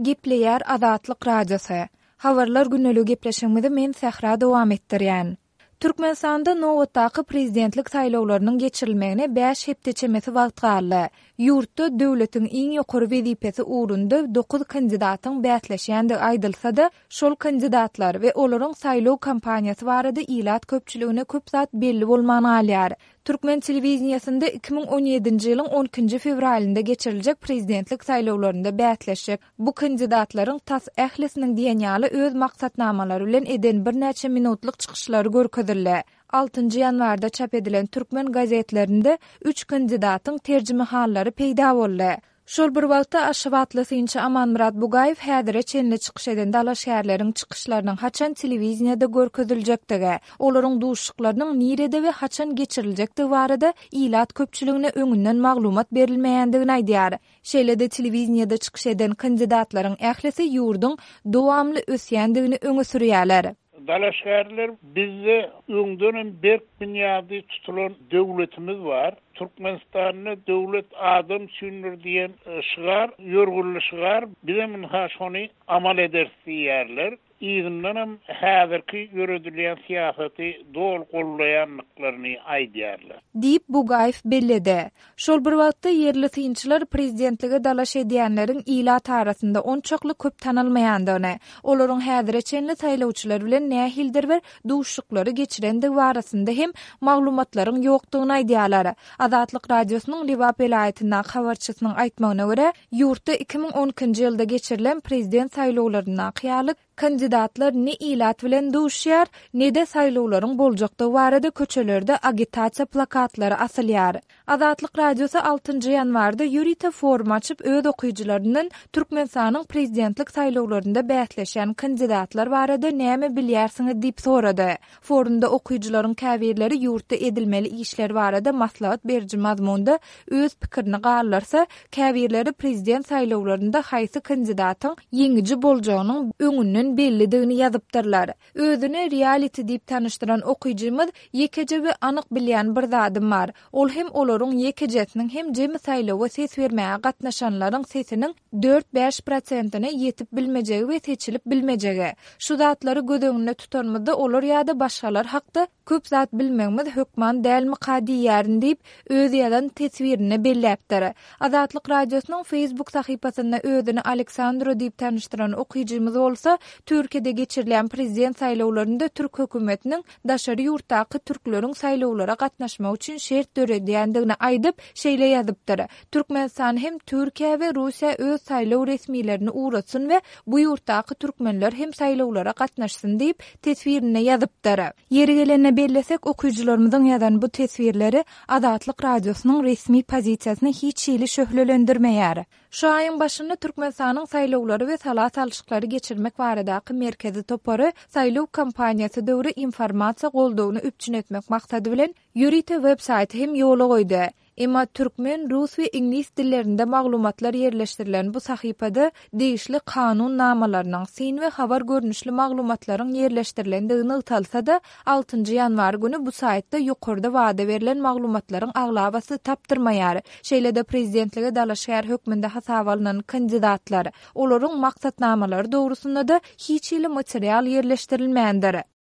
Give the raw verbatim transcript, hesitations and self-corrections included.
Gepleýär Azatlyk Radiosy. Habarlar gündeligi gepleşigimizi men Sähra dowam etdirýän. Türkmenistanda nobatdaky prezidentlik saýlawlarynyň geçirilmegine bäş hepde çemesi wagt galdy. Ýurtda döwletiň iň ýokary wezipesi ugrunda dokuz kandidatyň bäsleşýändigi aýdylsa-da, şol kandidatlar we olaryň saýlaw kampaniýasy barada ilat köpçüligine köp zat belli bolman galýar. Türkmen telewideniýesinde iki müň on ýedinji ýylyň on ikinji fewralynda geçiriljek prezidentlik saýlawlarynda bäsleşjek bu kandidatlaryň tas ählisiniň diýen ýaly öz maksatnamalary bilen eden birnäçe minutlyk çykyşlary görkezildi. Altynjy ýanwarda çap edilen türkmen gazetlerinde üç kandidatyň terjimehallary peýda boldy. Şol bir wagtda aşgabatly synçy Amanmyrat Bugaýew häzire çenli çykyş eden dalaşgärleriň çykyşlarynyň haçan telewideniýede görkeziljekdigi, olaryň duşuşyklarynyň nirede we haçan geçiriljekdigi barada ilat köpçüligine öňünden maglumat berilmeýändigini aýdýar. Şeýle-de telewideniýede çykyş eden kandidatlaryň ählisi ýurduň dowamly ösýändigini öňe sürýärler. Dalaşgärler bizde öňdenem berk binýady tutulan döwletimiz bar. Türkmenistanda döwlet adam üçindir diýen, e, şygar, ýörgünli şygar, bizem ynha şony amal ederis diýýärler. Yzyndanam häzirki ýöredilýän syýasaty doly gollaýandyklaryny aýdýarlar. Diýip Bugaýew belledi. Şol bir wagtda ýerli synçylar prezidentlige dalaş edýänleriň ilat arasynda onçakly köp tanalmaýandygyny, olaryň häzire çenli saýlawçylar bilen nähildir bir duşuşyklary geçirendigi barasynda hem maglumatlaryň ýokdugyny aýdýarlar. Azatlyk Radiosynyň Lebap welaýatyndaky habarçysynyň aýtmagyna görä, ýurtda iki müň on ikinji ýylda geçirilen prezident saýlawlaryndaky ýaly kandidatlar ne ilat bilen duşýar, ne-de saýlawlaryň boljakdygy barada köçelerde agitasiýa plakatlary asylýar. Azatlyk Radiosy altynjy ýanwarda ýörite forum açyp öz okyjylaryndan Türkmenistanyň prezidentlik saýlawlarynda bäsleşýän kandidatlar barada näme bilýärsiňiz diýip sorady. Forumda okyjylaryň käbirleri ýurtda edilmeli işler barada maslahat beriji mazmunda öz pikirini galdyrsa, käbirleri prezident saýlawlarynda haýsy kandidatyň ýeňiji boljagynyň öňünden bellidigini ýazypdyrlar. Özüni reality diýip tanyşdyran okyjymyz ýekeje we anyk bilýän bir zadym bar. Ol hem olaryň ýekejesiniň hem jemi saýlawa ses bermäge gatnaşanlaryň sesiniň dört-bäş prosentine ýetip bilmejegi we seçilip bilmejegi. Şu zatlary göz öňünde tutanymyzda olar ýa-da başgalar hakda köp zat bilmegimiz hökman dälmika diýýärin diýip öz ýazan teswirine belläpdir. Azatlyk Radiosynyň Facebook sahypasynda özüni Aleksandro diýip tanyşdyran okyjymyz bolsa, Türkiýede geçirilen prezident saýlawlarynda türk hökümetiniň daşary ýurtdaky türkleriň saýlawlara gatnaşmak üçin şert döredýändigini aýdyp, şeýle ýazypdyr. Türkmenistan hem Türkiýe we Russiýa öz saýlaw resmilerini ugratsyn we bu ýurtdaky türkmenler hem saýlawlara gatnaşsyn diýip teswirinde ýazypdyr. Ýeri gelende bellesek, okyjylarymyzyň ýazan bu teswirleri Azatlyk Radiosynyň resmi pozisiýasyny hiç hili şöhlelendirmeýär. Şu aýyň başynda Türkmenistanyň saýlawlary we sala salşyklary geçirmek baradaky merkezi topary saýlaw kampaniýasy döwri informasiýa goldawyny üpjün etmek maksady bilen ýörite web saýty hem ýola goýdy. Emma türkmen, rus we iňlis dillerinde maglumatlar ýerleşdirilen bu sahypada degişli kanun namalarynyň, syn we habar görnüşli maglumatlaryň ýerleşdirilendigi nygtalsa-da, altynjy ýanwar güni bu saýtda ýokarda wada berlen maglumatlaryň aglabasy tapdyrmaýar. Şeýle-de prezidentlige dalaşgär hökmünde hasaba alnan kandidatlar, olaryň maksatnamalary dogrusynda-da hiç hili material ýerleşdirilmändir.